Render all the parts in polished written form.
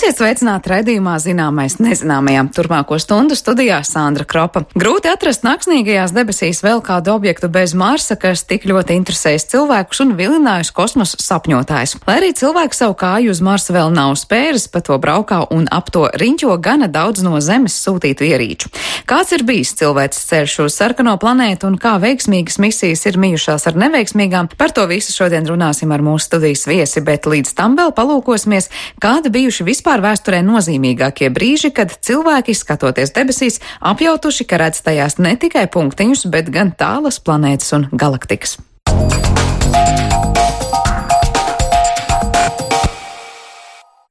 Esiet sveicināti raidījumā Zināmais nezināmajam. Turpmāko stundu studijā Sandra Kropa. Grūti atrast naktsnīgajās debesīs vēl kādu objektu bez Marsa, kas tik ļoti interesējas cilvēkus un vilinājis kosmosa sapņotājus. Lai arī cilvēki savu kāju uz Marsa vēl nav spēris, pa to braukā un ap to riņķo gana daudz no Zemes sūtītu ierīču. Kāds ir bijis cilvēces ceļš uz sarkano planētu un kā veiksmīgas misijas ir mijušās ar neveiksmīgām? Par to visu šodien runāsim ar mūsu studijas viesi, bet līdz tam vēl palūkosimies, kāda bijuši vispār vēsturē nozīmīgākie brīži, kad cilvēki, skatoties debesīs, apjautuši, ka redz tajās ne tikai punktiņus, bet gan tālas planētas un galaktikas.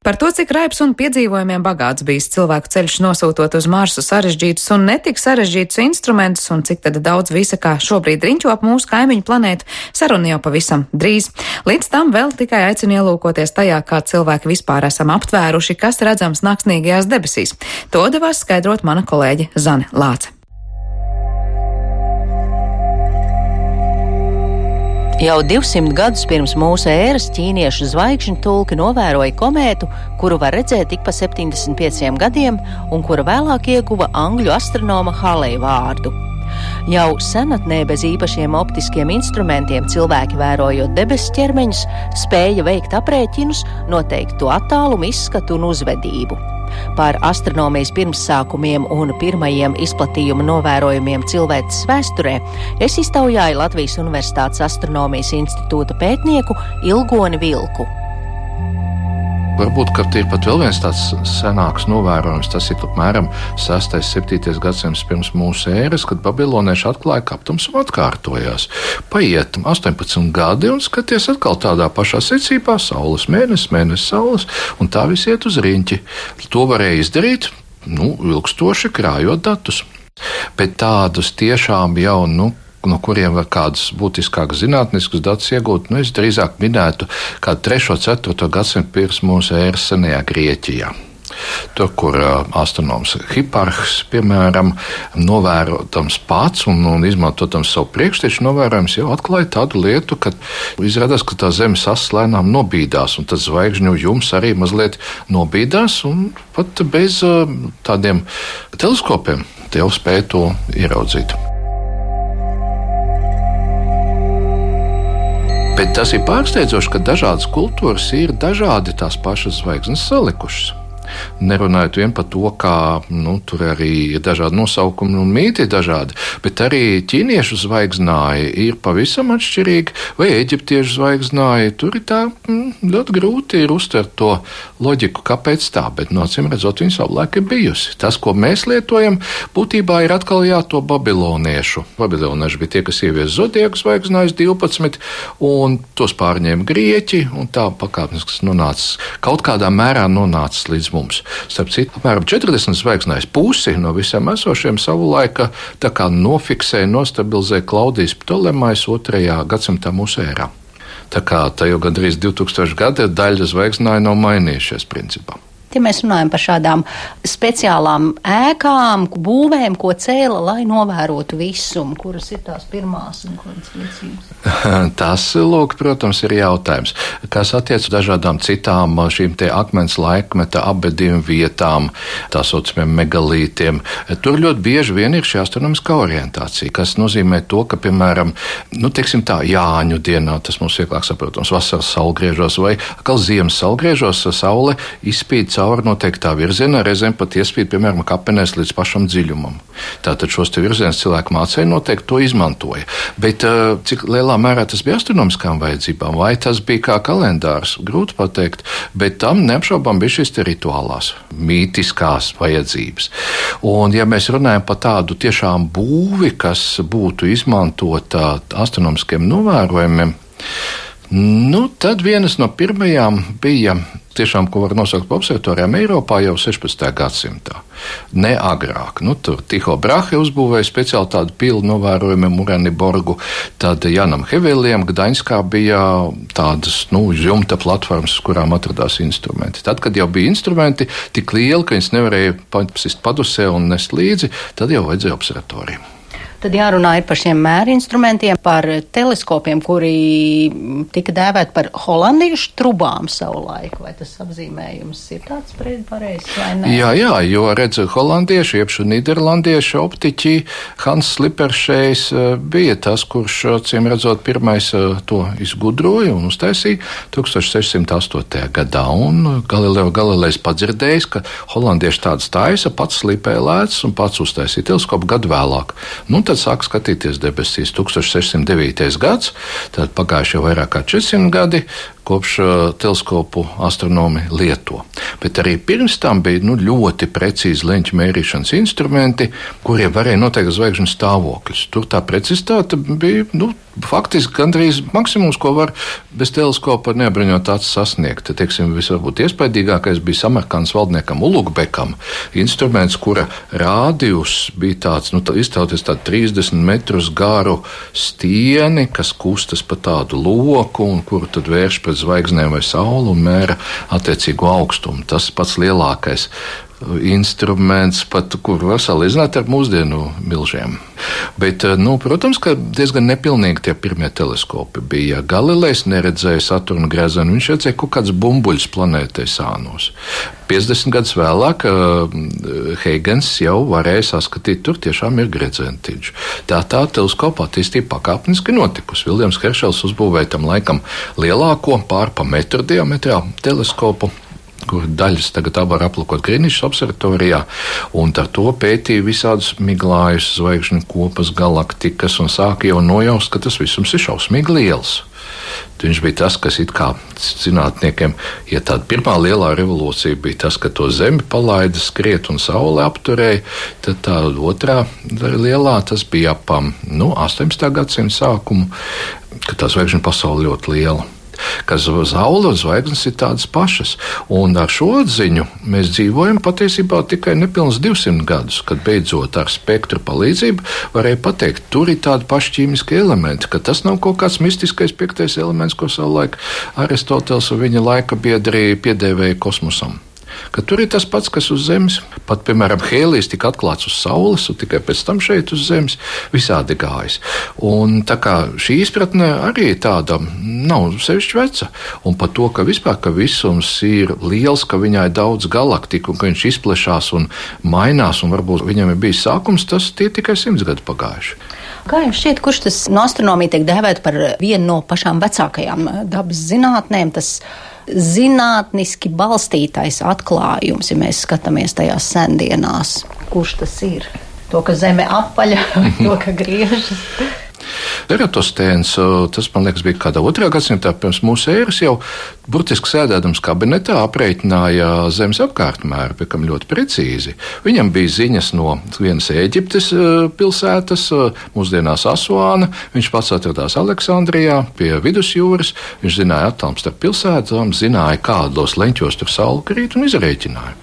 Par to, cik raips un piedzīvojumiem bagāts bijis cilvēku ceļš nosūtot uz Marsu sarežģītus un netik sarežģītus instrumentus un cik tad daudz visa, kā šobrīd riņķo ap mūsu kaimiņu planētu, saruna jau pavisam drīz. Līdz tam vēl tikai aicinu ielūkoties tajā, kā cilvēki vispār esam aptvēruši, kas redzams naktsnīgajās debesīs. To devās skaidrot mana kolēģe Zane Lāce. Jau 200 gadus pirms mūsu ēras ķīniešu zvaigžņu tulki novēroja komētu, kuru var redzēt tik pa 75 gadiem un kura vēlāk ieguva angļu astronoma Halley vārdu. Jau senatnē bez īpašiem optiskiem instrumentiem cilvēki, vērojot debesu ķermeņus, spēja veikt aprēķinus, noteikt to attālumu, izskatu un uzvedību. Par astronomijas pirmsākumiem un pirmajiem izplatījuma novērojumiem cilvēces vēsturē es iztaujāju Latvijas Universitātes Astronomijas institūta pētnieku Ilgoni Vilku. Varbūt, ka ir pat vēl viens tāds senāks novērojums, tas ir apmēram 6. 7. gadsimts pirms mūsu ēras, kad babilonieši atklāja, ka aptumsuma atkārtojās. Paiet 18 gadi un skaties atkal tādā pašā secībā, saules mēnesis, mēnesis saules, un tā viss iet uz riņķi. To varēja izdarīt, ilgstoši krājot datus. Bet tādus tiešām jau, no kuriem var kādas būtiskākas zinātniskas datus iegūt, es drīzāk minētu kādu 3. 4. gadsimtu pirms mūsu ēras senajā Grieķijā. Tur, kur astronoms Hiparhs, piemēram, novērotams pats un izmantotams savu priekšteču novērojums, jau atklāja tādu lietu, ka izrādās, ka tā Zemes ass lēnām nobīdās, un tad zvaigžņu jums arī mazliet nobīdās, un pat bez tādiem teleskopiem te jau spēja to ieraudzīt. Bet tas ir pārsteidzoši, ka dažādas kultūras ir dažādi tās pašas zvaigznes salikušas. Nerunājot vien par to, kā tur arī ir dažādi nosaukumi un mīti dažādi, bet arī ķīniešu zvaigznāji ir pavisam atšķirīgi, vai eģiptiešu zvaigznāji. Tur ir tā ļoti grūti ir uztvert to loģiku, kāpēc tā, bet acīm redzot, viņa savulaik ir bijusi. Tas, ko mēs lietojam, būtībā ir atkal to babiloniešu. Babilonieši bija tie, kas ievies zodiaku zvaigznājus 12, un tos pārņēma grieķi, un tā pakāpeniski kaut kādā mērā nonācis līdz mums. Starp citu, apmēram 40 zvaigznājas pusi no visiem esošiem savulaika tā kā nofiksēja, nostabilizēja Klaudijs Ptolemajs 2. gadsimtā mūsu ērā. Tā kā tā jau gandrīz 2000 gadi daļa zvaigznāju nav mainījušies principā. Ja mēs runājam par šādām speciālām ēkām, būvēm, ko cēla, lai novērotu visumu, kuras ir tās pirmās un kuras liecības? Tas, protams, ir jautājums. Kas attiec dažādām citām šīm te akmens laikmeta apbedījuma vietām, tā saucamiem megalītiem, tur ļoti bieži vien ir šī astronomiskā orientācija, kas nozīmē to, ka, piemēram, Jāņu dienā, tas mums vieglāk saprotams, vasaras saulgriežos vai atkal ziemas saulgriežos, saule izspīd cauri noteiktā virzienā, reizēm pat iespīd, piemēram, kapenēs līdz pašam dziļumam. Tātad šos te virzienus cilvēku mācēja noteikti to izmantoja. Bet cik lielā mērā tas bija astronomiskām vajadzībām, vai tas bija kā kalendārs, grūti pateikt, bet tam neapšaubām bija šīs te rituālās, mītiskās vajadzības. Un ja mēs runājam par tādu tiešām būvi, kas būtu izmantota astronomiskiem novērojumiem, tad vienas no pirmajām bija tiešām, ko var nosaukt par observatorijām Eiropā jau 16. gadsimtā. Ne agrāk. Tur Tycho Brahe uzbūvēja speciāli tādu pilu novērojumiem Uraniborgu, tad Janam Heveliem Gdaņskā bija tādas, jumta platformas, uz kurām atradās instrumenti. Tad, kad jau bija instrumenti tik lieli, ka viņas nevarēja pasist padusē un nest līdzi, tad jau vajadzēja observatoriju. Tad jārunā ir par šiem mērinstrumentiem, par teleskopiem, kuri tika dēvēti par holandiešu trubām savulaik. Vai tas apzīmējums ir tāds pareizs vai ne? Jā, jo redz, holandieši, iepšu nīderlandieši optiķi Hans Lipperšejs bija tas, kurš, ciem redzot, pirmais to izgudroja un uztaisīja 1608. gadā. Un Galilejs padzirdējis, ka holandieši tādas taisa, pats slīpēja lēcas un pats uztaisīja teleskopu gadu vēlāk. Tad sāk skatīties debesīs 1609. gads, tad pagājuši jau vairāk kā 400 gadi, kopš teleskopu astronomi lieto. Bet arī pirms tam bija ļoti precīzi leņķu mērīšanas instrumenti, kuriem varēja noteikt zvaigžņu stāvokļus. Tur tā precizitāte bija faktiski gandrīz maksimums, ko var bez teleskopa neapbruņot acis sasniegt. Teiksim, visvarbūt iespaidīgākais bija Samarkandas valdniekam Ulugbekam instruments, kura rādījus bija tāds, iztauties tādu 30 metrus garu stieni, kas kustas pa tādu loku un kuru tad vērš pret zvaigznēm vai sauli un mēra attiecīgo augstumu. Tas pats lielākais instruments, pat kur var salīdzināt ar mūsdienu milžiem. Bet, protams, ka diezgan nepilnīgi tie pirmie teleskopi bija. Galilejs neredzēja Saturna grezenu, viņš redzēja kaut kāds bumbuļs planētei sānos. 50 gadus vēlāk Huygens jau varēja saskatīt, tur tiešām ir gredzentiņš. Tā teleskopa attīstība pakāpeniski notikusi. Viljams Heršels uzbūvēja tam laikam lielāko pārpa metru diametrā teleskopu, kur daļas tagad var aplūkot Grīnišas observatorijā, un ar to pētīja visādus miglājus, zvaigžņu kopas, galaktikas, un sāka jau nojaust, ka tas visums ir šausmīgi liels. Viņš bija tas, kas it kā zinātniekiem, ja tāda pirmā lielā revolūcija bija tas, ka to Zemi palaida skriet un Saule apturēja, tad tā otrā lielā tas bija ap 18. gadsimta sākumu, ka tā zvaigžņu pasaule ļoti liela. Ka Saule un zvaigznes ir tādas pašas. Un ar šo atziņu mēs dzīvojam patiesībā tikai nepilns 200 gadus, kad beidzot ar spektru palīdzību varēja pateikt, tur ir tādi paši ķīmiskie elementi, ka tas nav kaut kāds mistiskais piektais elements, ko savulaik Aristoteles un viņa laika biedri piedēvēja kosmosam. Ka tur ir tas pats, kas uz Zemes. Pat, piemēram, hēlijs tika atklāts uz Saules un tikai pēc tam šeit uz Zemes visādi gājis. Un tā kā šī izpratne arī tāda nav sevišķi veca. Un par to, ka vispār, ka visums ir liels, ka viņā ir daudz galaktiku un ka viņš izplešās un mainās un varbūt viņam ir bijis sākums, tas tie tikai 100 gadu pagājuši. Kā jums šķiet, kurš tas no astronomija tiek dēvēt par vienu no pašām vecākajām dabas zinātnēm, tas zinātniski balstītais atklājums, ja mēs skatāmies tajās sendienās? Kurš tas ir? To, ka Zeme apaļa, to, ka griežas? Eratostēns, tas, man liekas, bija kādā 2. gadsimtā pirms mūsu ēras, jau burtiski sēdēdams kabinetā aprēķināja Zemes apkārtmēru, piekam ļoti precīzi. Viņam bija ziņas no vienas Ēģiptes pilsētas, mūsdienās Asuāna, viņš pats atradās Aleksandrijā pie vidusjūras, viņš zināja attālumu starp pilsētām, zināja, kādos leņķos tur saule krīt un izrēķināja.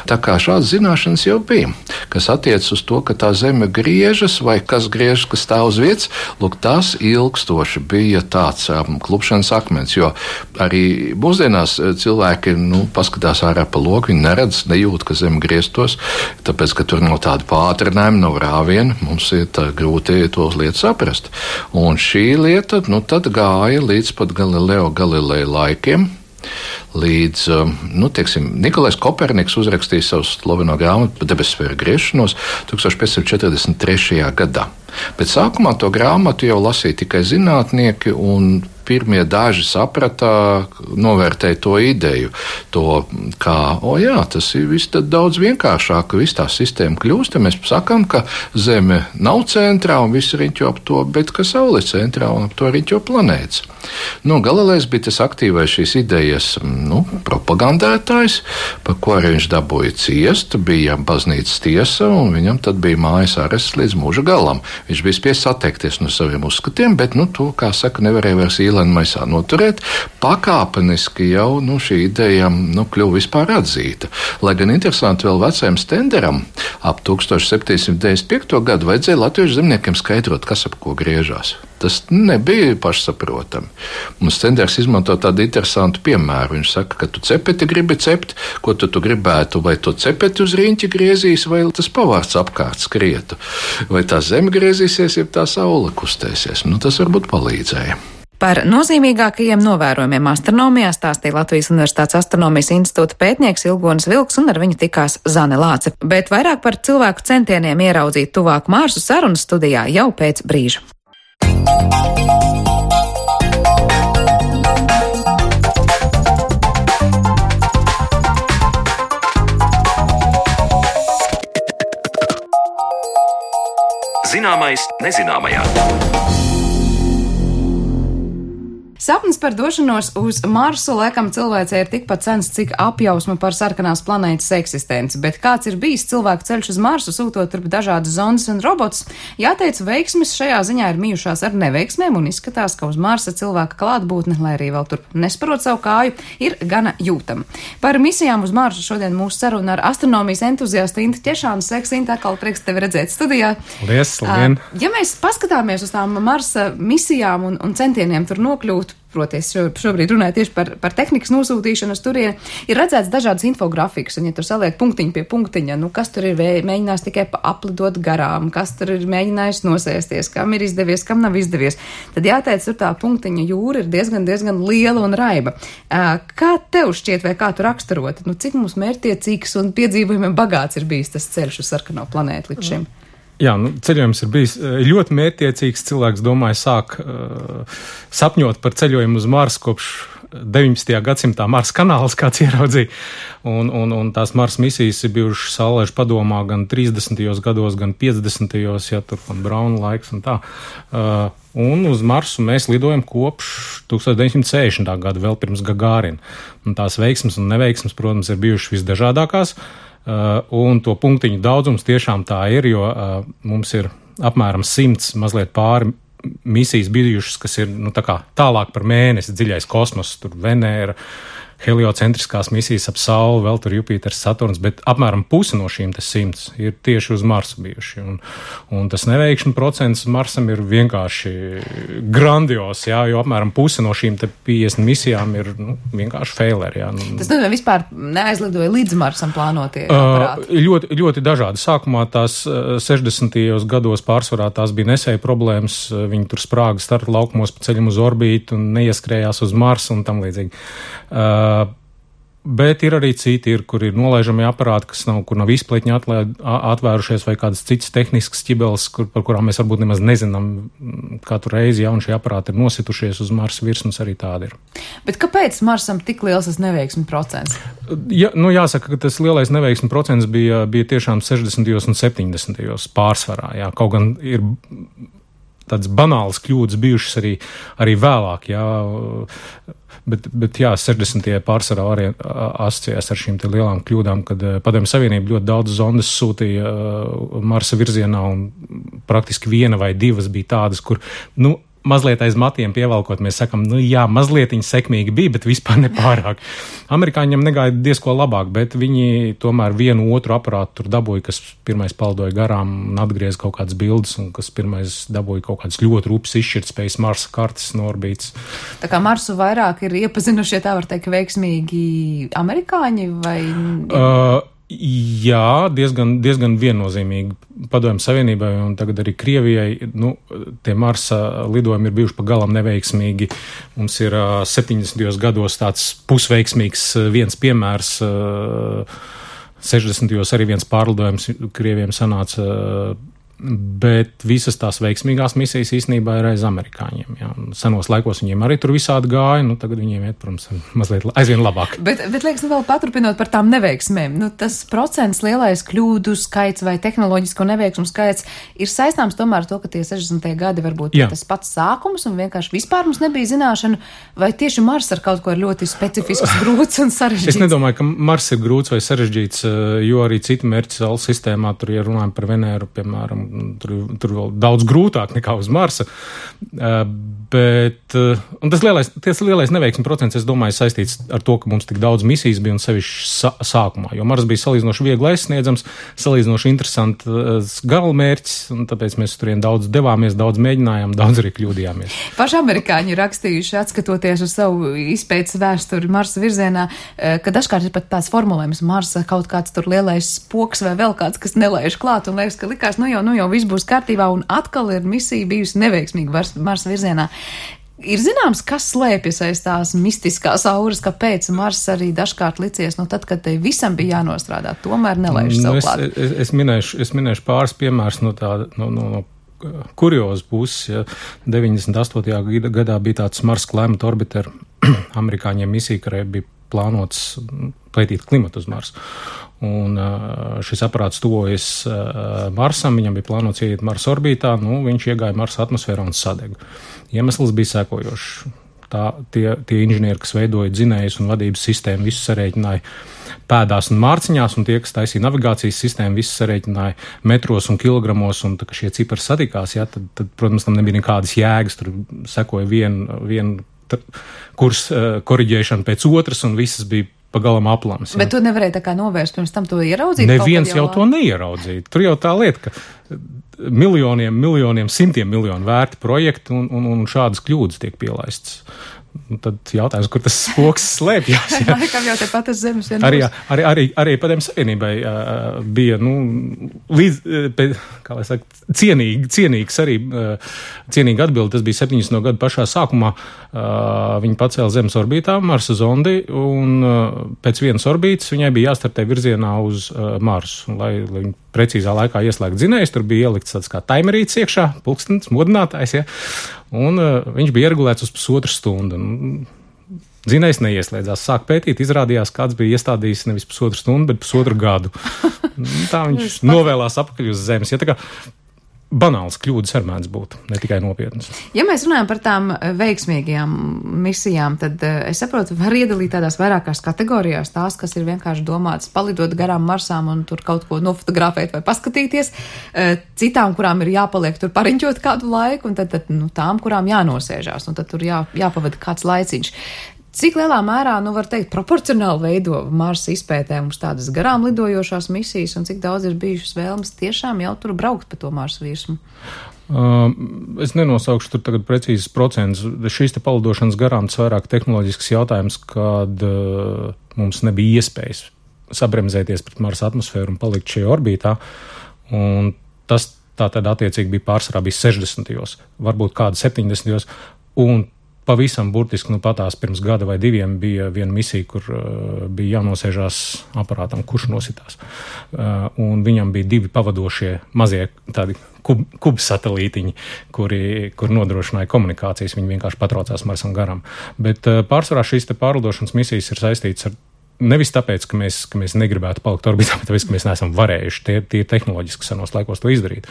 Tā kā šādas zināšanas jau bija, kas attiec uz to, ka tā Zeme griežas vai kas griežas, kas stāv uz vietas, lūk, tas ilgstoši bija tāds klupšanas akmens, jo arī mūsdienās cilvēki paskatās ārā pa loku, viņi neredz, nejūt, ka Zeme grieztos, tāpēc, ka tur nav tāda pātrinājuma, nav rāviena, mums ir grūti tos lietas saprast. Un šī lieta, tad gāja līdz pat Galileo laikiem, līdz, Nikolais Koperniks uzrakstīja savu slaveno grāmatu par debessfēru griešanos 1543. gadā. Bet sākumā to grāmatu jau lasīja tikai zinātnieki, un pirmie daži saprata, novērtēja to ideju, to, kā, tas ir viss tad daudz vienkāršāk, ka viss tā sistēma kļūst, ja mēs sakām, ka Zeme nav centrā un viss riņķo ap to, bet ka Saule ir centrā un ap to riņķo planētas. Galilejs bija tas aktīvais šīs idejas, propagandētājs, par ko arī viņš dabūja ciest, bija baznīcas tiesa, un viņam tad bija mājas arests līdz mūža galam. Viņš bija spiests atteikties no saviem uzskatiem, bet, to, kā saka, nevarēja vairs īlēni maisā noturēt. Pakāpeniski jau, šī ideja, kļuva vispār atzīta. Lai gan interesanti vēl vecajam Stenderam ap 1795. gadu vajadzēja latviešu zemniekiem skaidrot, kas ap ko griežās. Tas nebija pašsaprotami. Mums Cenders izmanto tādu interesantu piemēru. Viņš saka, ka tu cepeti gribi cept, ko tu gribētu, vai to cepeti uz riņķi griezīs, vai tas pavārds apkārt skrietu, vai tā zeme griezīsies, ja tā saule kustēsies. Tas varbūt palīdzēja. Par nozīmīgākajiem novērojumiem astronomijā stāstīja Latvijas Universitātes astronomijas institūta pētnieks Ilgonis Vilks, un ar viņu tikās Zane Lāce. Bet vairāk par cilvēku centieniem ieraudzīt tuvāk Marsu sarunas studijā jau pēc brīža. Zināmais nezināmajā. Sapnis par došanos uz Marsu laikam cilvēcei ir tikpat sens, cik apjausma par sarkanās planētas eksistenci, bet kāds ir bijis cilvēku ceļš uz Marsu, sūtot turp dažādas zondes un robotus, jāteic, veiksmes šajā ziņā ir mijušās ar neveiksmēm un izskatās, ka uz Marsa cilvēka klātbūtne, lai arī vēl turp nesparot savu kāju, ir gana jūtama. Par misijām uz Marsu šodien mūsu saruna ar astronomijas entuziastu Intu Ķešānu. Sveiks, Inta, atkal prieks tevi redzēt studijā. Paldies, labdien! Ja mēs paskatāmies uz tām Marsa misijām un centieniem tur nokļūt, proti, es šobrīd runāju tieši par tehnikas nosūtīšanu uz turieni, ir redzēts dažādas infografikas, un ja tur saliek punktiņu pie punktiņa, kas tur ir mēģinājis tikai aplidot garām, kas tur ir mēģinājis nosēsties, kam ir izdevies, kam nav izdevies, tad jāteic, tur tā punktiņa jūra ir diezgan liela un raiba. Kā tev šķiet, vai kā tu raksturot, cik mums mērķtiecīgs un piedzīvojumiem bagāts ir bijis tas ceļš uz sarkano planētu līdz šim? Jā, ceļojums ir bijis ļoti mērķtiecīgs. Cilvēks, domāju, sāk sapņot par ceļojumu uz Marsu kopš 19. gadsimtā Marsa kanāls kāds ieraudzīja. Un tās Marsa misijas ir bijušas Saulēšu padomā gan 30. gados, gan 50. ja tur un Brauna laiks un tā. Un uz Marsu mēs lidojam kopš 1960. gada, vēl pirms Gagārina. Un tās veiksmes un neveiksmes, protams, ir bijušas visdažādākās. Un to punktiņu daudzums tiešām tā ir, jo mums ir apmēram 100 mazliet pāri misijas bijušas, kas ir tā kā tālāk par mēnesi, dziļais kosmos, tur Venēra, heliocentriskās misijas ap Sauli, vēl tur Jupiters, Saturns, bet apmēram pusi no šīm 100 ir tieši uz Marsu bijuši. Un tas neveikšana procents Marsam ir vienkārši grandios, jā, jo apmēram pusi no šīm 50 misijām ir vienkārši faileri. Jā. Tas vispār neaizlidoja līdz Marsam plānotie aparāti? Ļoti dažādi. Sākumā tās 60. gados pārsvarā tās bija nesēja problēmas, viņi tur sprāga starta laukumos pa ceļam uz orbītu un neieskrējās uz Marsu un tam līdzīgi. Bet ir arī citi, kur ir nolaižami aparāti, kur nav izpletņi atvērušies vai kādas citas tehniskas ķibeles, par kurām mēs varbūt nemaz nezinām katru reizi, ja un šie aparāti ir nositušies uz Marsa virsmas, arī tādi ir. Bet kāpēc Marsam tik liels tas neveiksmi procents? Ja, jāsaka, ka tas lielais neveiksmi procents bija tiešām 60. un 70. pārsvarā, jā, kaut gan ir tādas banālas kļūdas bijušas arī vēlāk, jā. Bet jā, 60. pārsvarā arī asociējās ar šīm te lielām kļūdām, kad Padomju Savienība ļoti daudz zondes sūtīja Marsa virzienā un praktiski viena vai divas bija tādas, kur, mazliet aiz matiem pievalkot, mēs sakam, jā, mazlietiņi sekmīgi bija, bet vispār nepārāk. Amerikāņiem negaida diezko labāk, bet viņi tomēr vienu otru aparātu tur dabūja, kas pirmais paldoja garām un atgriez kaut kādas bildes, un kas pirmais dabūja kaut kādas ļoti rūpes izšķirtspējas Marsa kartes no orbītas. Tā kā Marsu vairāk ir iepazinušie, tā var teikt, veiksmīgi amerikāņi vai... Jā, diezgan viennozīmīgi Padomju Savienībai un tagad arī Krievijai. Tie Marsa lidojumi ir bijuši pa galam neveiksmīgi. Mums ir 70. gados tāds pusveiksmīgs viens piemērs. 60. arī viens pārlidojums Krievijiem sanāca, bet visas tās veiksmīgās misijas īstenībā ir aiz amerikāņiem. Jā. Senos laikos viņiem arī tur visādi gāja, tagad viņiem iet, protams, mazliet aizvien labāk. Bet liekas, vēl paturpinot par tām neveiksmēm, tas procents lielais kļūdu skaits vai tehnoloģisko neveiksmu skaits ir saistāms tomēr ar to, ka tie 60. gadi varbūt tas pats sākums un vienkārši vispār mums nebija zināšana, vai tieši Mars ar kaut ko ir ļoti specifisks, grūts un sarežģīts? Es nedomāju, ka Mars ir grūts vai sarežģīts, jo arī citi mērķi Saules sistēmā, tur, ja runājam par Venēru, piemēram, tur vēl daudz grūtāk nekā uz Marsa. Bet tas lielais neveiksmi procents, es domāju, saistīts ar to, ka mums tik daudz misijas bija un sevišķi sākumā, jo Mars bija salīdzinoši viegli aizsniedzams, salīdzinoši interesants galamērķis, un tāpēc mēs turien daudz devāmies, daudz mēģinājām, daudz arī kļūdījāmies. Paši amerikāņi rakstījuši, atskatoties uz savu izpētes vēsturi Marsa virzienā, ka dažkārt ir pat tāds formulējums Marsa kaut kāds tur lielais spoks vai vēl kāds, kas nelaiž klāt, un liekas, ka likās, nu jau viss būs kārtībā, un atkal ir misija bijusi neveiksmīga Marsa virzienā. Ir zināms, kas slēpjas aiz tās mistiskās auras, kāpēc Mars arī dažkārt licies, tad, kad te visam bija jānostrādā, tomēr nelaiž savu klāt. Es minēšu pāris piemērus no kuriozu puses. Ja 98. gadā bija tāds Mars Climate Orbiter, amerikāņiem misija, kurai bija plānots pētīt klimatu uz Marsu. Un šis aparāts tuvojas Marsam, viņam bija plānots ieiet Marsa orbītā, viņš iegāja Marsa atmosfērā un sadega. Iemesls bija sekojošs. Tie inženieri, kas veidoja dzinējus un vadības sistēmu, visu sarēķināja pēdās un mārciņās, un tie, kas taisīja navigācijas sistēmu, visu sarēķināja metros un kilogramos, un tā, ka šie cipari satikās, ja, tad, protams, tam nebija nekādas jēgas, tur sekoja viena kurs koriģēšana pēc otras, un visas bija pagalam aplams. Ja. Bet tu nevarēji tā kā novērst pirms tam to ieraudzīt? Neviens jau to neieraudzīja. Tur jau tā lieta, ka miljoniem, simtiem miljonu vērti projekti un šādas kļūdas tiek pielaistas. Tad jautājums, kur tas spoks slēpjas. Ja? Laikam jau tepat uz zemes vien. Arī Padomju Savienībai bija, kā lai saka, cienīgs arī, cienīga atbilde. Tas bija 70. gadu pašā sākumā. Viņi pacēla zemes orbītā Marsa zondi, un pēc vienas orbītas viņai bija jāstartē virzienā uz Marsu. Lai viņi precīzā laikā ieslēgt dzinējus, tur bija ielikts tāds kā taimerīts iekšā, pulkstenis, modinātājs, ja. Un viņš bija ieregulēts uz pusotru stundu. Dzinējs neieslēdzās, sāk pētīt, izrādījās, kāds bija iestādījis nevis pusotru stundu, bet pusotru gadu. Tā viņš novēlās apakaļ uz zemes. Ja, tā kā banāls kļūdas var mēdz būt, ne tikai nopietnas. Ja mēs runājam par tām veiksmīgajām misijām, tad es saprotu, var iedalīt tādās vairākās kategorijās tās, kas ir vienkārši domātas palidot garām Marsām un tur kaut ko nofotografēt vai paskatīties, citām, kurām ir jāpaliek tur pariņķot kādu laiku, un tad tām, kurām jānosēžās, un tad tur jāpavada kāds laiciņš. Cik lielā mērā, var teikt, proporcionāli veido Marsa izpētē mums tādas garām lidojošās misijas, un cik daudz ir bijušas vēlmes tiešām jau tur braukt pa to Marsa virsmu? Es nenosaukšu tur tagad precīzes procentus. Šīs te palidošanas garām tas vairāk tehnoloģisks jautājums, kad mums nebija iespējas sabremzēties pret Marsa atmosfēru un palikt šajā orbītā, un tas tā tad attiecīgi bija pārsvarā 60. varbūt kāda 70. un pavisam burtiski, patās pirms gada vai diviem bija viena misija, kur bija jānosēžās aparātam, kurš nositās. Un viņam bija divi pavadošie mazie tādi kubsatelītiņi, kur nodrošināja komunikācijas, viņi vienkārši patraucās Marsam garām. Bet pārsvarā šīs te pārlidošanas misijas ir saistītas ar nevis tāpēc, ka mēs negribētu palikt orbītā, bet tāpēc, ka mēs neesam varējuši tie tehnoloģiski senos laikos to izdarīt.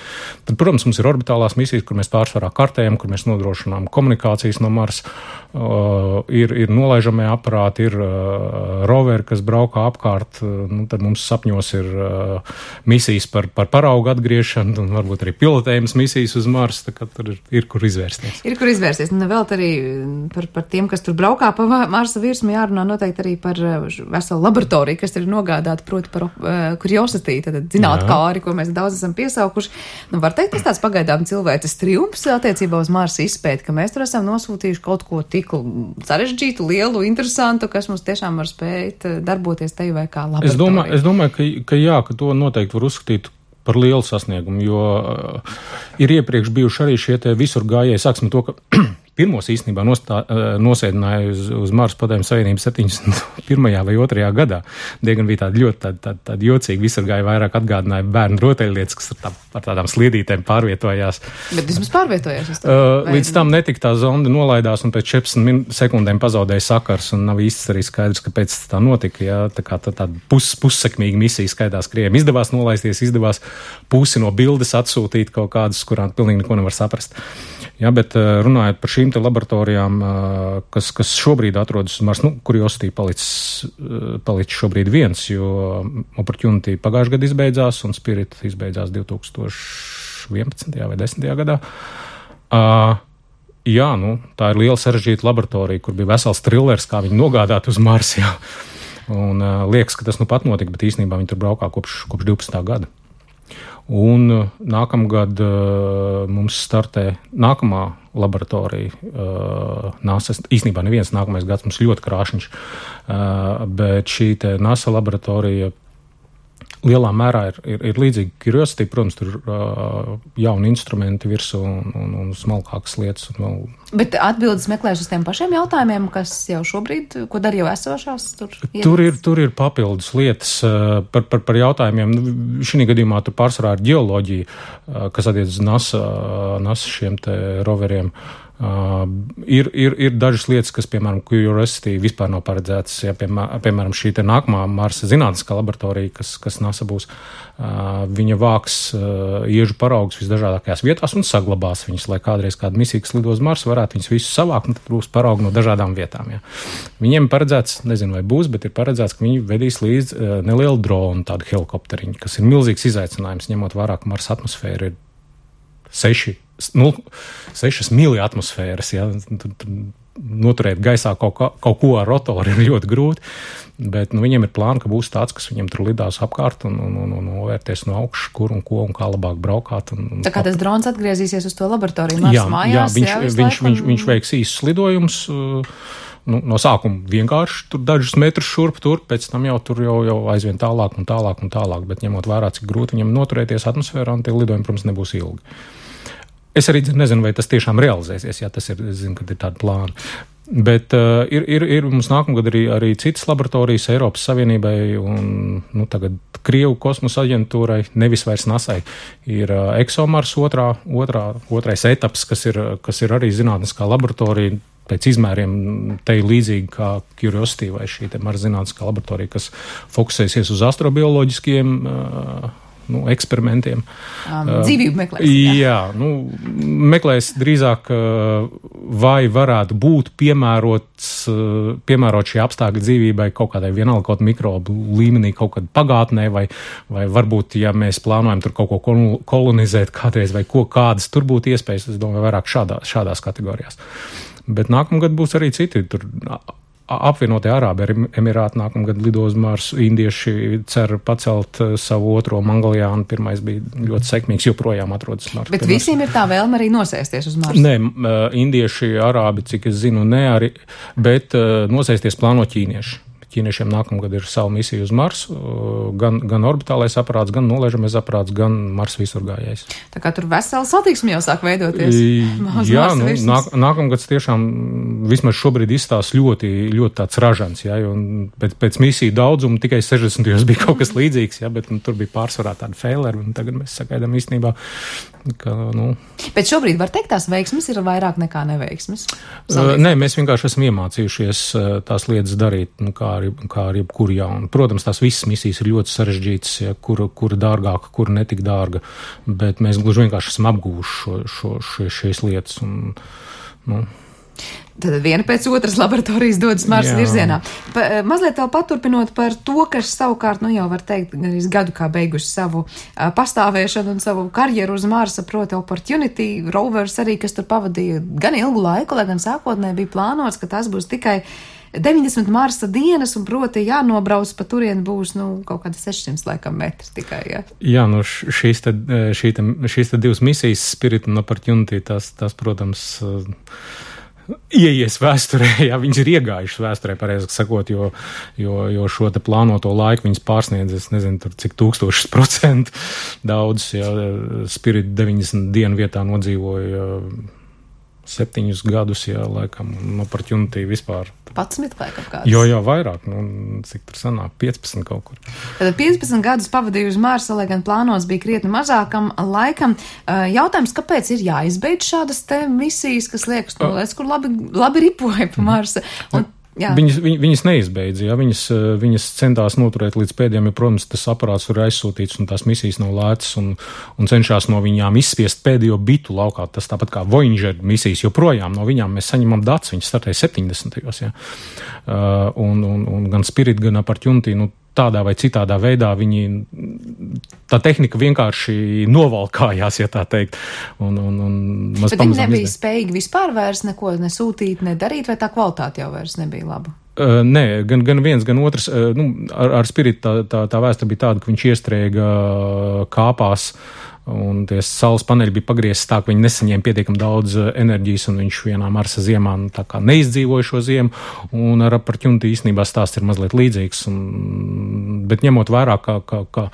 Tad, protams, mums ir orbitālās misijas, kur mēs pārsvarā kartējam, kur mēs nodrošinām komunikācijas no Marsa, ir nolaižamie aparāti, ir roveri, kas braukā apkārt, tad mums sapņos ir misijas par paraugu atgriešanu, un varbūt arī pilotējumas misijas uz Marsa, tā kā tur ir kur izvērsties. Ir kur izvērsties, un vēl arī par tiem, kas tur braukā pa Marsa virsmu, jārunā noteikti arī par veselu laboratoriju, kas ir nogādāta, proti par Curiosity, tad zinātkāri, ko mēs daudz esam piesaukuši. Var teikt, tas tāds pagaidām cilvēces triumfs attiecībā uz Marsa izpēti, ka mēs tur esam nosūtījuši kaut ko tik sarežģītu, lielu, interesantu, kas mums tiešām var spēt darboties te vai kā laboratorija. Es domāju, ka to noteikti var uzskatīt par lielu sasniegumu, jo ir iepriekš bijuši arī šie te visur gājēji, sāksim to, ka pirmos īstenībā nosēdināja uz Marsa Padomju Savienību 71. vai 2. gadā. Diezgan bija tāda ļoti jocīga, visur gāja vairāk atgādināja bērnu rotaļlietas, kas ar tādām sliedītēm pārvietojās. Bet vismaz pārvietojās? Līdz tam netika tā zonde nolaidās un pēc 14 sekundēm pazaudēja sakars un nav īsti arī skaidrs, kāpēc tā notika. Ja? Tā kā tāda pussekmīga misija skaidās Krievijam. Izdevās nolaisties, izdevās pusi no bildes atsūtīt kaut kādas, kurām pilnīgi neko nevar saprast. Ja, bet runājot par šīm te laboratorijām, kas šobrīd atrodas uz Marsa, Curiosity palicis šobrīd viens, jo Opportunity pagājušajā gadā izbeidzās un Spirit izbeidzās 2011. vai 10. gadā. Jā, tā ir liela sarežģīta laboratorija, kur bija vesels trillers, kā viņi nogādāt uz Marsu. Un liekas, ka tas pat notika, bet īstenībā viņi tur braukā kopš 12. gada. Un nākamgad mums startē nākamā laboratorija NASA. Īstenībā neviens nākamais gads mums ļoti krāšņš, bet šī te NASA laboratorija lielā mērā ir līdzīgi Curiosity, protams, tur jauni instrumenti virsū un smalkākas lietas. Bet atbildes meklēs uz tiem pašiem jautājumiem, kas jau šobrīd, ko dara jau esošās? Tur ir papildus lietas par jautājumiem. Šī gadījumā tur pārsvarā ir ģeoloģija, kas attiec uz NASA šiem te roveriem. Ir dažas lietas, kas, piemēram, Curiosity vispār nav paredzētas. Ja, piemēram, šī te nākamā Marsa zinātniskā laboratorija, kas NASA būs, viņa vāks iežu paraugus visdažādākajās vietās un saglabās viņus, lai kādreiz kāda misija, kas lido uz Marsu, varētu viņus visus savākt, un tad būs paraugi no dažādām vietām. Ja. Viņiem paredzēts, nezinu vai būs, bet ir paredzēts, ka viņi vedīs līdz nelielu dronu, tādu helikopteriņu, kas ir milzīgs izaicinājums, ņemot vērā, ka Marsa atmosfēra ir 6 mili atmosfēras, ja, noturēt gaisā kaut ko ar rotoru ir ļoti grūti, bet viņiem ir plāni, ka būs tāds, kas viņiem tur lidās apkārt un novērties no augšas, kur un ko un kā labāk braukāt. Tā kā tas drons atgriezīsies uz to laboratoriju Marsa mājās? Viņš veiks īsus lidojumus. No sākuma vienkārši tur dažus metrus šurp tur, pēc tam jau tur jau aizvien tālāk un tālāk, bet ņemot vērā, cik grūti viņam noturēties atmosfērā, un tie lidojumi, protams, nebūs ilgi. Es arī nezinu, vai tas tiešām realizēsies, ja tas ir, zinu, kad ir tāda plāna. Bet ir mums nākamgad arī citas laboratorijas Eiropas Savienībai un tagad Krievu kosmosa aģentūrai, nevis vairs NASai, ir ExoMars otrais etaps, kas ir arī zinātniskā laboratorija, pēc izmēriem te līdzīgi kā Curiosity vai šī te Marsa zinātniskā laboratorija, kas fokusēsies uz astrobioloģiskiem eksperimentiem. Dzīvību meklēs. Jā, meklēs drīzāk, vai varētu būt piemērot šie apstākļi dzīvībai kaut kādai vienalga kaut mikrobu līmenī, kaut kad pagātnē, vai varbūt, ja mēs plānojam tur kaut ko kolonizēt kādreiz, vai kādas tur būtu iespējas, es domāju, vairāk šādās kategorijās. Bet nākamgad būs arī citi tur. Apvienotie Arābu Emirāti nākamgad lido uz Marsu, indieši cer pacelt savu otro Mangaljānu, pirmais bija ļoti sekmīgs, joprojām atrodas Marsu. Bet visiem ir tā vēlme arī nosēsties uz Marsu? Nē, indieši, Arābi, cik es zinu, ne arī, bet nosēsties plāno ķīnieši. Ķīniešiem nākamgad ir savu misiju uz Marsu, gan orbitālais aparāts, gan nolaižamais aparāts, gan Marsa visurgājējs. Tā kā tur vesela satiksme jau sāk veidoties. Jā, nākamgads tiešām vismaz šobrīd izstās ļoti, ļoti tāds ražants, ja, jo pēc misiju daudzuma tikai 60. bija kaut kas līdzīgs, ja, bet tur bija pārsvarā tāda faileri, un tagad mēs sagaidām īstenībā, ka, Bet šobrīd var teikt, tās veiksmes ir vairāk nekā neveiksmes? Nē, mēs vienkārši esam iemācījušies tās lietas darīt, kā ar jebkuru jaunu. Protams, tās visas misijas ir ļoti sarežģītas, ja, kura dārgāka, kura netik dārga, bet mēs gluži vienkārši esam apgūši šīs lietas. Tad viena pēc otras laboratorijas dodas Marsa virzienā. Mazliet vēl paturpinot par to, kas savukārt, jau var teikt, gadu kā beiguši savu pastāvēšanu un savu karjeru uz Marsa, proti Opportunity rovers arī, kas tur pavadīja gan ilgu laiku, lai gan sākotnēji bija plānots, ka tas būs tikai 90 Marsa dienas, un proti jānobrauc pa turien būs, kaut kāda 600 laikam metri tikai, ja? Jā, šīs te divas misijas, Spirit un Opportunity, tas protams, ieies vēsturē, jā, viņas ir iegājušas vēsturē, pareizāk sakot, jo šo te plānoto laiku viņas pārsniedz, es nezinu, tur cik 1000% daudz, jā, Spirit 90 dienu vietā nodzīvoja 7 gadus, jā, laikam, un Opportunity vispār. 11 laikam kāds? Jo, vairāk, cik tur sanāk, 15 kaut kur. Tad 15 gadus pavadīju uz Marsa, lai gan plānos bija krietni mazākam laikam. Jautājums, kāpēc ir jāizbeidz šādas te misijas, kas liekas, kur labi ripoja pa Marsa? Viņas neizbeidza, ja? Viņas centās noturēt līdz pēdējiem, jo, protams, tas aparāts ir aizsūtīts un tās misijas nav lētas un cenšās no viņām izspiest pēdējo bitu laukā. Tas tāpat kā Voyager misijas, joprojām no viņām mēs saņemam datus, viņas startēja 70. Ja? Un gan Spirit, gan Opportunity, tādā vai citādā veidā viņi tā tehnika vienkārši novalkājās, ja tā teikt. Un bet viņi nebija spējīgi vispār vairs neko nesūtīt, nedarīt, vai tā kvalitāte jau vairs nebija laba? Nē, gan viens, gan otrs. Ar Spiritu tā vēsture bija tāda, ka viņš iestrēga kāpās, un tie saules paneļi bija pagriezti tā, ka viņi nesaņēma pietiekami daudz enerģijas, un viņš vienā Marsa ziemā tā kā neizdzīvoja šo ziemu, un ar Opportunity īstenībā stāsts ir mazliet līdzīgs, bet ņemot vērā, ka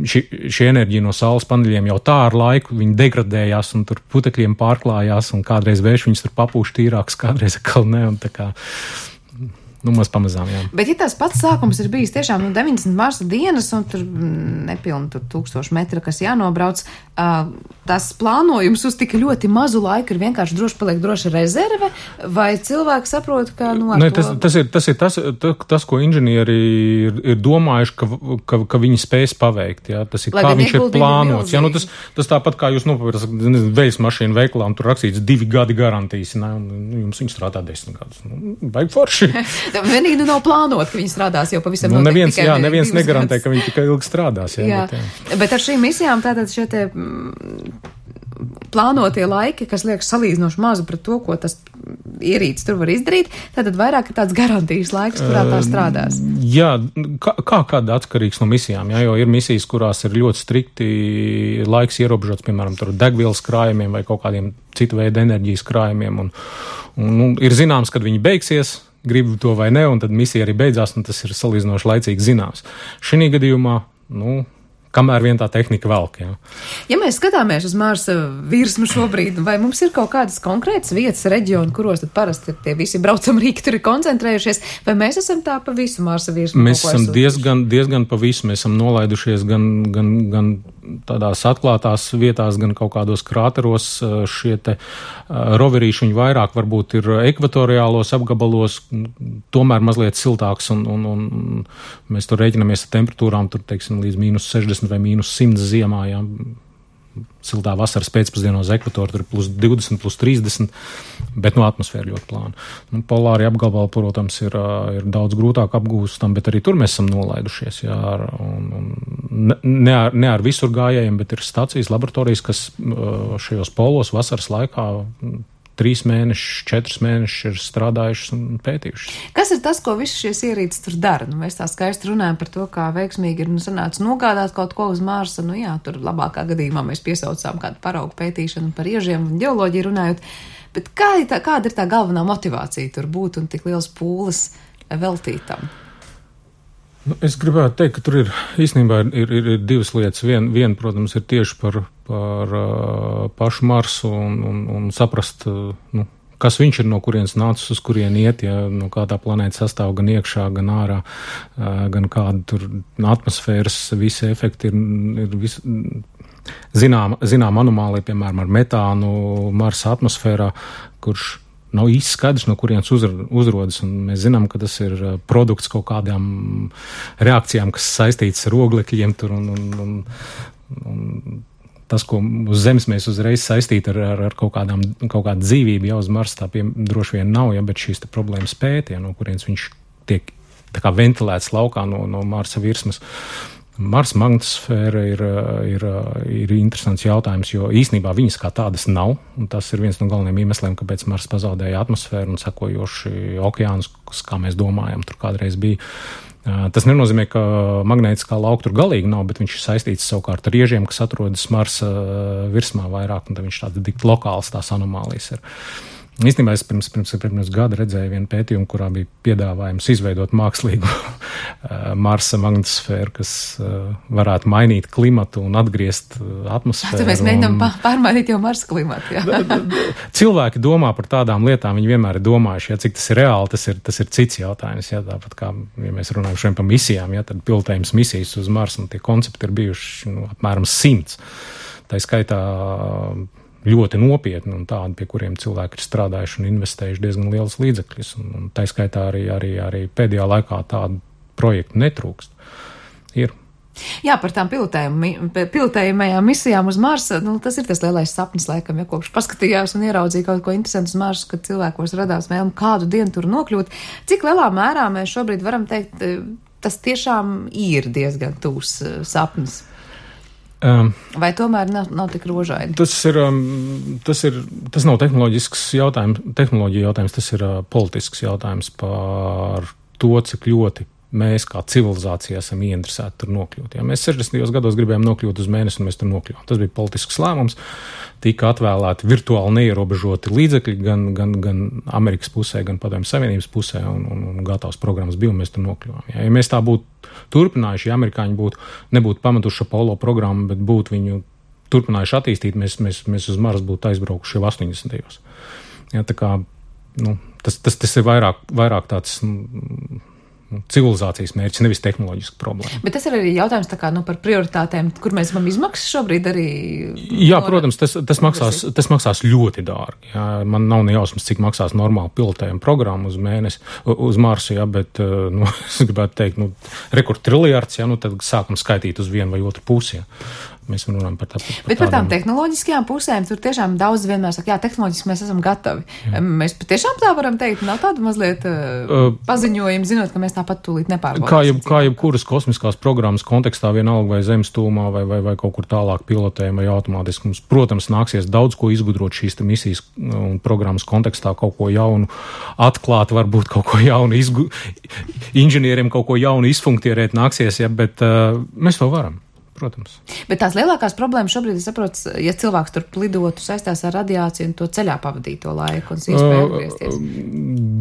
šī enerģija no saules paneļiem jau tā ar laiku, viņi degradējās, un tur putekļiem pārklājās, un kādreiz vējš viņus tur papūš tīrāks, kādreiz atkal ne, un tā kā maz pamazām, jā. Bet ja tās pats sākums ir bijis tiešām 90 Marsa dienas un tur nepilni 1000 metra, kas jānobrauc, tas plānojums uz tik ļoti mazu laiku ir vienkārši droša rezerve, vai cilvēki saprot, ka tas, ko inženieri ir domājuši, ka viņi spēs paveikt, jā. Tas ir, kā viņš ir plānots. Jā, tas tāpat, kā jūs nopirkat veļas mašīnu veiklā, un tur rakstīts 2 gadi garantijas, ne, un jums viņi strādā 10 gadus. Vajag forši. Vienīgi nav plānot, ka viņi strādās jau pavisam noteikti. Neviens negarantē, ka viņi tikai ilgi strādās. Jā. Bet ar šīm misijām tātad šie te plānotie laiki, kas liekas salīdzinoši mazu pret to, ko tas ierīcis tur var izdarīt, tātad vairāk ir tāds garantijas laiks, kurā tā strādās. Jā, kāda atkarīgs no misijām, jā, jo ir misijas, kurās ir ļoti strikti laiks ierobežots, piemēram, tur degvielas krājumiem vai kaut kādiem citu veidu enerģijas krājumiem, un ir zināms, kad viņi beigsies, gribu to vai ne, un tad misija arī beidzās, un tas ir salīdzinoši laicīgi zināms. Šī gadījumā, kamēr vien tā tehnika velk, jā. Ja mēs skatāmies uz Marsa virsmu šobrīd, vai mums ir kaut kādas konkrētas vietas, reģioni, kuros tad parasti tie visi braucamrīki tur ir koncentrējušies, vai mēs esam tā pa visu Marsa virsmu? Mēs esam diezgan pa visu, mēs esam nolaidušies gan tādās atklātās vietās, gan kaut kādos krāteros. Šie te roverīši viņi vairāk varbūt ir ekvatoriālos apgabalos, tomēr mazliet siltāks, un mēs tur rēķinamies ar temperatūrām, tur, teiksim, līdz -60 vai -100 ziemā, jā. Siltā vasaras pēcpusdienā uz ekvatoru, tur +20, +30, bet atmosfēra ļoti plāna. Polāri apgabali, protams, ir daudz grūtāk apgūstam, bet arī tur mēs esam nolaidušies, jā, ne ar visur gājējiem, bet ir stacijas, laboratorijas, kas šajos polos vasaras laikā 3 mēnešus, 4 mēnešus ir strādājušas un pētījušas. Kas ir tas, ko visi šies ierīces tur dara? Mēs tā skaisti runājam par to, kā veiksmīgi ir sanācis nogādāt kaut ko uz Marsa. Jā, tur labākā gadījumā mēs piesaucām kādu paraugu pētīšanu par iežiem un ģeoloģiju runājot. Bet kāda ir tā galvenā motivācija tur būt un tik liels pūles veltītam? Es gribētu teikt, ka tur ir īstenībā ir divas lietas. Viena, protams, ir tieši par pašu Marsu un saprast, kas viņš ir, no kurienes nācis, uz kurien iet, ja, no kā tā planēta sastāv gan iekšā, gan ārā, gan kāda tur atmosfēras visi efekti ir zinām anomālija, piemēram, ar metānu Marsa atmosfērā, kurš nav īsti skaidrs, no kurienes uzrodas, un mēs zinām, ka tas ir produkts kaut kādām reakcijām, kas saistītas ar oglekļiem tur, un tas, ko uz Zemes mēs uzreiz saistīt ar kaut kādu dzīvību, jau uz Marsa tā droši vien nav, ja, bet šīs te problēmas pēta, ja, no kurienes viņš tiek tā kā ventilēts laukā no Marsa virsmas. Marsa magnetosfēra ir interesants jautājums, jo īstenībā viņas kā tādas nav, un tas ir viens no galvenajiem iemesliem, kāpēc Marsa pazaudēja atmosfēru un sekojoši okeānus, kā mēs domājam, tur kādreiz bija. Tas nenozīmē, ka magnētiskā lauka tur galīgi nav, bet viņš ir saistīts savukārt ar iežiem, kas atrodas Marsa virsmā vairāk, un tad viņš tāds tik lokāls tās anomālijas ir. Īstenībā es pirms gada redzēju vienu pētījumu, kurā bija piedāvājums izveidot mākslīgu Marsa magnetosfēru, kas varētu mainīt klimatu un atgriezt atmosfēru. Tad mēs mēģinām pārmainīt jau Marsa klimatu. Jā. Cilvēki domā par tādām lietām, viņi vienmēr ir domājuši, ja cik tas ir reāli, tas ir cits jautājums. Ja, tāpat kā, ja mēs runājam šodien par misijām, ja, tad pilotējums misijas uz Marsu un tie koncepti ir bijuši apmēram 100. Tā skaitā ļoti nopietni un tādi, pie kuriem cilvēki ir strādājuši un investējuši diezgan lielus līdzekļus. Un tā skaitā arī pēdējā laikā tādu projektu netrūkst. Ir. Jā, par tām pilotējumajām misijām uz Marsa, tas ir tas lielais sapnis, laikam, ja kopš paskatījās un ieraudzīja kaut ko interesantu uz Marsu, kad cilvēkos radās vēlme kādu dienu tur nokļūt. Cik lielā mērā mēs šobrīd varam teikt, tas tiešām ir diezgan tūs sapnis? Vai tomēr nav tik rožaini? Tas nav tehnoloģija jautājums, tas ir politisks jautājums par to, cik ļoti mēs kā civilizācija esam ieinteresēti tur nokļūt. Ja mēs 60. gados gribējām nokļūt uz mēnesi, un mēs tur nokļuvām. Tas bija politisks lēmums, tika atvēlēti virtuāli neierobežoti līdzekļi gan Amerikas pusē, gan Padomju Savienības pusē, un gatavs programmas bija, un mēs tur nokļuvām. Ja mēs tā būtu turpinājuši, ja amerikāņi nebūtu pametuši Apollo programmu, bet būtu viņu turpinājuši attīstīt, mēs uz Marsu būtu aizbraukuši jau 80. Ja, tā kā, tas ir vairāk tāds civilizācijas mērķis, nevis tehnoloģiska problēma. Bet tas ir arī jautājums tā kā, par prioritātēm, kur mēs esam izmaksas šobrīd arī? Jā, protams, tas maksās ļoti dārgi. Jā. Man nav ne jausmas, cik maksās normāli pilotējuma programma uz mēnesi, uz Marsu, jā, bet, es gribētu teikt, rekord triljards, jā, tad sākam skaitīt uz vienu vai otru pusi, jā. Mēs runājam par tādu. Bet par tām tehnoloģiskajām pusēm tur tiešām daudz vienmēr saka, jā, tehnoloģiski mēs esam gatavi. Jā. Mēs patiešām tā varam teikt, nav tāda mazliet paziņojuma, zinot, ka mēs tāpat tūlīt nepārbaudīsim. Kā jebkuras kosmiskās programmas kontekstā, vienalga vai zemes tūmā, vai kaut kur tālāk pilotējuma, vai automātiski mums, protams, nāksies daudz ko izgudrot šīs misijas un programmas kontekstā, kaut ko jaunu atklāt, varbūt kaut ko jaunu inženieriem kaut ko jaunu izfunktierēt nāksies, ja, bet mēs to varam. Protams. Bet tās lielākās problēmas šobrīd, es saprotu, ja cilvēks tur lidotu, saistās ar radiāciju un to ceļā pavadīto laiku un iespēju atgriezties.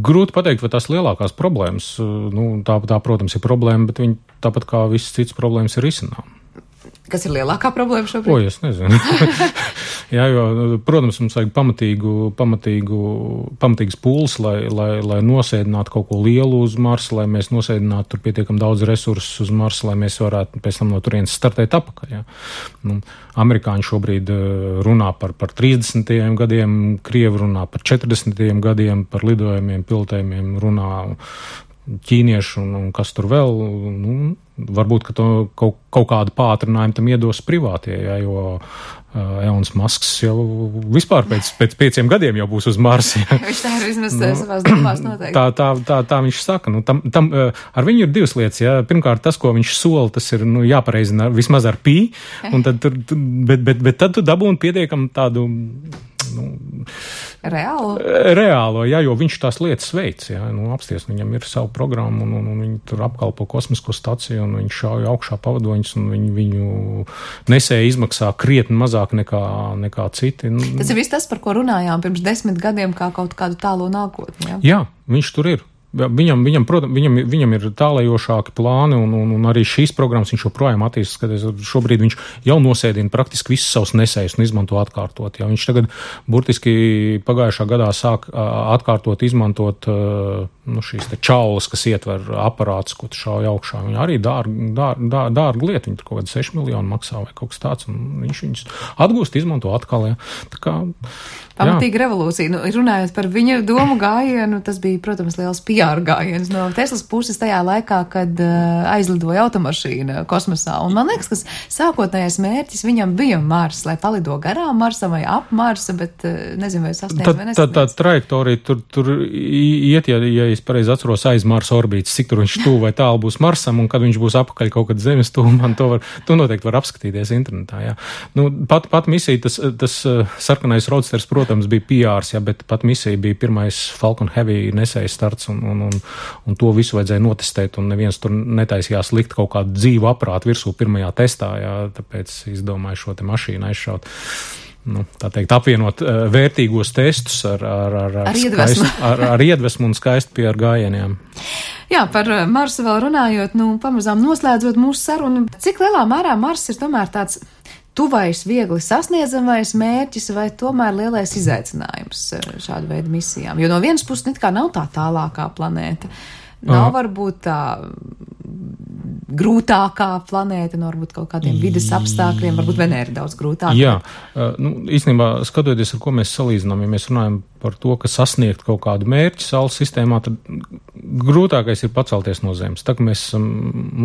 Grūti pateikt, vai tās lielākās problēmas, tā, protams, ir problēma, bet viņi tāpat kā visas citas problēmas ir risinām. Kas ir lielākā problēma šobrīd? Es nezinu. Jā, jo, protams, mums vajag pamatīgas pūles, lai nosēdinātu kaut ko lielu uz Marsa, lai mēs nosēdinātu tur pietiekam daudz resursus uz Marsa, lai mēs varētu pēc tam no turienes startēt apakaļ. Jā. Amerikāņi šobrīd runā par 30. gadiem, Krievi runā par 40. gadiem, par lidojumiem, pilotējumiem runā ķīnieši un kas tur vēl, varbūt, ka to kaut kādu pātrinājumu tam iedos privātie, ja, jo Elons Musks jau vispār pēc 5 gadiem jau būs uz Marsa. Ja. Viņš tā ir vismaz savās domās noteikti. Tā viņš saka. Ar viņu ir divas lietas. Ja. Pirmkārt, tas, ko viņš sola, tas ir jāpareizina vismaz ar pī, un tad bet tad tu dabūni pietiekam tādu Reālo, jā, jo viņš tās lietas veic, jā, apsties, viņam ir savu programmu, un viņi tur apkalpo kosmisko staciju, un viņš šauj augšā pavadoņus, un viņu nesēja izmaksā krietni mazāk nekā citi. Tas ir viss tas, par ko runājām pirms 10 gadiem, kā kaut kādu tālo nākotni, jā? Jā, viņš tur ir. Viņam ir tālējošāki plāni, un arī šīs programmas viņš joprojām attīstās, kad šobrīd viņš jau nosēdina praktiski visus savus nesējus un izmanto atkārtot. Ja. Viņš tagad burtiski pagājušā gadā sāk atkārtot, izmantot šīs te čaulas, kas ietver aparātus, ko tu šauj augšā. Viņa arī dārga lieta, viņa tur kaut kāda 6 miljonu maksā vai kaut kas tāds, un viņš viņus atgūst, izmanto atkal. Ja. Tā kā Pamatīga revolūcija. Runājot par viņa domu gājienu, tas bija, protams, liels PR gājiens no Teslas puses tajā laikā, kad aizlidoja automašīna kosmosā. Un man liekas, ka sākotnējais mērķis viņam bija Mars, lai palido garām Marsam vai ap Marsa, bet nezinu, vai sasniedz vai nesasniedz. Tā trajektorija tur iet, ja es pareizi atceros, aiz Marsa orbītas, cik tur viņš tuvu vai tālu būs Marsam, un kad viņš būs apakaļ kaut kad Zemes tuvumā, to noteikti var apskatīties internetā. Jā. Pat misija, tas sarkanais roadsters, protams, bija PRs, ja, bet pat misija bija pirmais Falcon Heavy nesējas starts, un to visu vajadzēja notestēt, un neviens tur netaisījās likt kaut kādu dzīvu aparātu virsū pirmajā testā, ja, tāpēc izdomāju šo te mašīnu aizšaut. Tā teikt, apvienot vērtīgos testus ar iedvesmu un skaistu PR gājieniem. Jā, par Marsu vēl runājot, pamazām noslēdzot mūsu sarunu, cik lielā mērā Mars ir tomēr tāds tuvais, viegli sasniedzamais mērķis vai tomēr lielais izaicinājums šādu veidu misijām? Jo no vienas puses it kā nav tā tālākā planēta. Nav varbūt tā grūtākā planēta, varbūt kaut kādiem vides apstākļiem, varbūt Venēra daudz grūtāka. Jā, īstenībā skatoties, ar ko mēs salīdzinām, ja mēs runājam par to, ka sasniegt kaut kādu mērķi Saules sistēmā, tad grūtākais ir pacelties no Zemes. Tā, ka mēs esam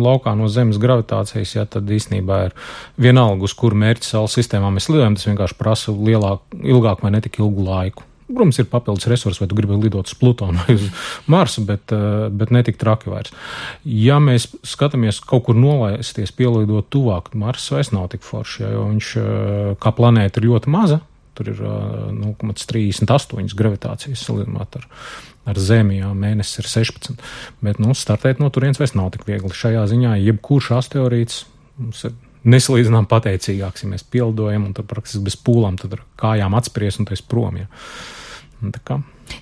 laukā no Zemes gravitācijas, ja, tad īstenībā ir vienalga, uz kuru mērķi Saules sistēmā mēs lidojam, tas vienkārši prasa ilgāk vai netik ilgu laiku. Protams, ir papildus resursi, vai tu gribi lidot uz Plutonu vai uz Marsu, bet ne tik traki vairs. Ja mēs skatāmies kaut kur nolaisties, pielidot tuvāk, Mars vairs nav tik forši, jo viņš kā planēta ir ļoti maza, tur ir 0,38 gravitācijas salīdzinot ar Zemi, mēnesis ir 16, bet, startēt no turienes vairs nav tik viegli. Šajā ziņā jebkurš asteroīds mums ir nesalīdzinām pateicīgāks, ja mēs pielidojam un tad praktiski bez pūlām, tad ar kājām atspries un tu esi prom,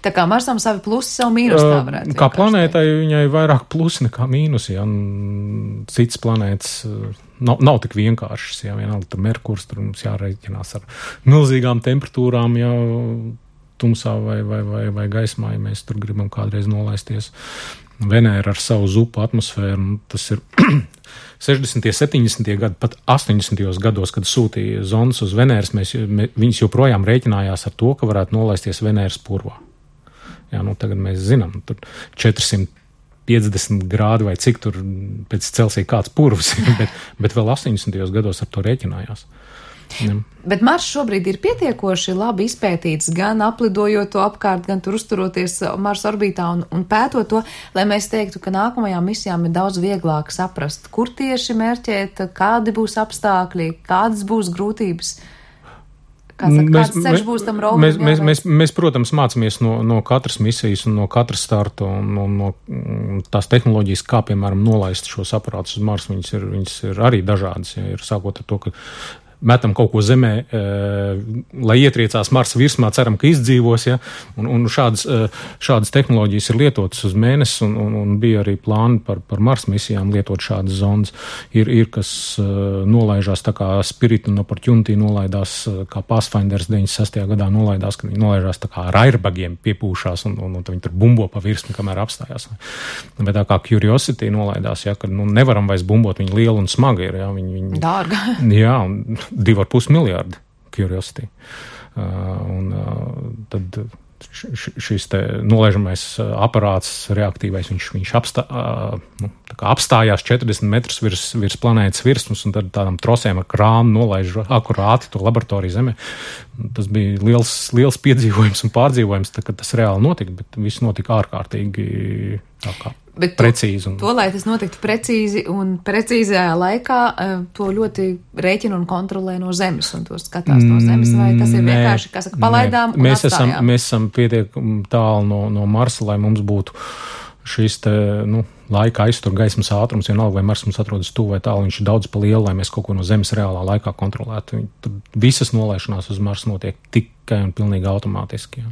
Tā kā Marsam savi plusi, savu mīnus tā varētu. Kā planētai viņai vairāk plusi nekā mīnusi, citas planētas nav tik vienkāršas, vienalga tur Merkurs, tur mums jārēķinās ar milzīgām temperatūrām, tumsā vai gaismā, ja mēs tur gribam kādreiz nolaisties. Venēra ar savu zupu atmosfēru, tas ir 60. 70. gadi, pat 80. gados, kad sūtīja zondas uz Venēras, viņas joprojām rēķinājās ar to, ka varētu nolaisties Venēras purvā. Tagad mēs zinām, tur 450 grādi vai cik tur pēc Celsija kāds purvs, bet vēl 80. gados ar to rēķinājās. Bet Mars šobrīd ir pietiekoši labi izpētīts, gan aplidojot to apkārt, gan tur uzturoties Marsa orbītā un pētot to, lai mēs teiktu, ka nākamajām misijām ir daudz vieglāk saprast, kur tieši mērķēt, kādi būs apstākļi, kādas būs grūtības. Kāds ceļš būs tam roveram? Mēs, protams, mācāmies no katras misijas un no katras starta un no tās tehnoloģijas, kā, piemēram, nolaist šos aparātus uz Marsu. Viņas ir arī dažādas, ir sākot ar to, ka metam kaut ko zemē, lai ietriecās Marsa virsmā, ceram, ka izdzīvos, un šādas tehnoloģijas ir lietotas uz mēnesi, un bija arī plāni par Marsa misijām lietot šādas zondas. Ir kas nolaižās tā kā Spirit un Opportunity nolaidās, kā Pathfinders 96. gadā nolaidās, kad viņi nolaižās tā kā ar airbagiem piepūšās, un viņi tur bumbo pa virsmu, kamēr apstājās. Bet tā kā Curiosity nolaidās, kad nevaram vairs bumbot, viņi liela un smaga ir. Dārga. Jā, un 2,5 miljārdi Curiosity. Tad šis te nolaižamais aparāts reaktīvais, viņš apstājās 40 metrus virs planētas virsmas, un tad tādām trosēm ar krānu nolaiž akurāti to laboratoriju Zemē. Tas bija liels piedzīvojums un pārdzīvojums, kad tas reāli notika, bet viss notika ārkārtīgi precīzi. To, lai tas notiktu precīzi un precīzajā laikā, to ļoti rēķina un kontrolē no Zemes, un to skatās no Zemes, vai tas ir vienkārši, kā saka, palaidām un atstājām? Mēs esam pietiekami tālu no Marsa, lai mums būtu šis te, laika aiztur gaismas ātrums, vienalga, vai Mars mums atrodas tuvu vai tālu, viņš ir daudz pa lielu, lai mēs kaut ko no Zemes reālā laikā kontrolētu. Visas nolaišanās uz Marsa notiek tikai un pilnīgi automātiski.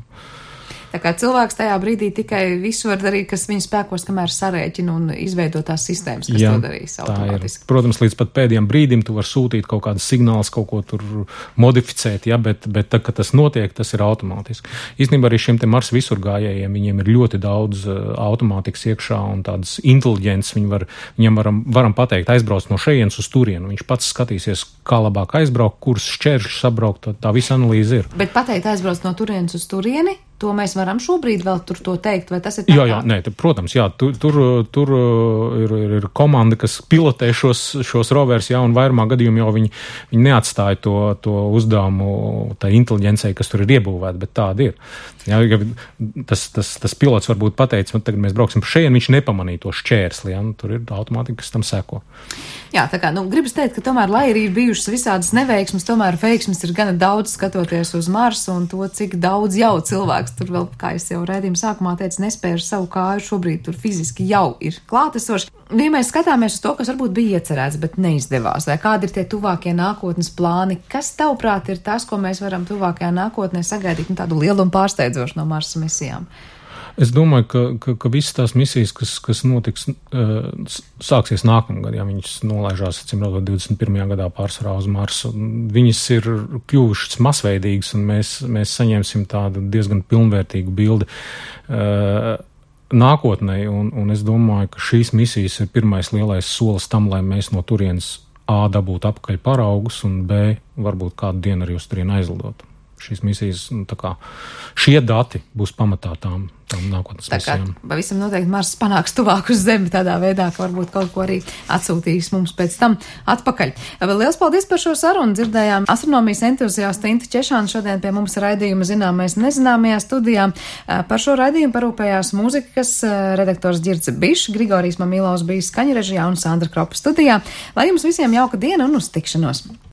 Tā kā cilvēks tajā brīdī tikai visu var darīt, kas viņa spēkos, kamēr sarēķina un izveido tās sistēmas, kas to darīs automātiski. Protams, līdz pat pēdējiem brīdim tu var sūtīt kaut kādas signālus, kaut ko tur modificēt, bet tad, kad tas notiek, tas ir automātiski. Īstenībā arī šiem te Marsa visurgājējiem, viņiem ir ļoti daudz automātikas iekšā un tādas inteliģences, viņam varam pateikt, aizbrauc no šejienes uz turienu. Viņš pats skatīsies, kā labāk aizbraukt, kurus šķēršļus sabraukt, tā visa analīze ir. Bet pateikt, aizbrauc no turienes uz turieni? To mēs varam šobrīd vēl tur to teikt, vai tas ir tā? Protams, tur ir komanda, kas pilotē šos rovers, un vairumā gadījumu jau viņi neatstāja to uzdevumu tā inteliģencei, kas tur ir iebūvēta, bet tāda ir. Tas pilots varbūt pateica, tagad mēs brauksim pa šejienu, viņš nepamanīja to šķērsli, tur ir automātika, kas tam seko. Jā, tā kā, gribas teikt, ka tomēr, lai arī ir bijušas visādas neveiksmes, tomēr veiksmes ir gana daudz skatoties uz Marsu un to, cik daudz jau cilvēks tur vēl, kā es jau raidījuma sākumā teicu, nespēja ar savu kāju, šobrīd tur fiziski jau ir klātesoši. Ja mēs skatāmies uz to, kas varbūt bija iecerēts, bet neizdevās, vai kādi ir tie tuvākie nākotnes plāni, kas tavuprāt ir tas, ko mēs varam tuvākajā nākotnē sagaidīt, tādu lielu un pārsteidzošu no Marsa misijām? Es domāju, ka visas tās misijas, kas notiks, sāksies nākamgad, ja viņas nolaižās, 21. gadā pārsvarā uz Marsu. Viņas ir kļuvušas masveidīgas, un mēs saņemsim tādu diezgan pilnvērtīgu bildi nākotnē, un es domāju, ka šīs misijas ir pirmais lielais solis tam, lai mēs no turienes A dabūtu apakaļ paraugus, un B varbūt kādu dienu arī uz turieni aizlidotu. šīs misijas, šie dati būs pamatā tām nākotnes misijām. Pavisam noteikti Mars panāks tuvāk uz Zemi tādā veidā, ka varbūt kaut ko arī atsūtīs mums pēc tam atpakaļ. Liels paldies par šo sarunu. Dzirdējām astronomijas entuziastu Intu Češānu šodien pie mums raidījuma Zināmais nezināmajā studijā. Par šo raidījumu parūpējās mūzikas redaktors Ģirds Bišs, Grigorijs Mamilovs bija skaņrežijā un Sandra Kropa studijā. Lai jums visiem jauka diena un uz tikšanos!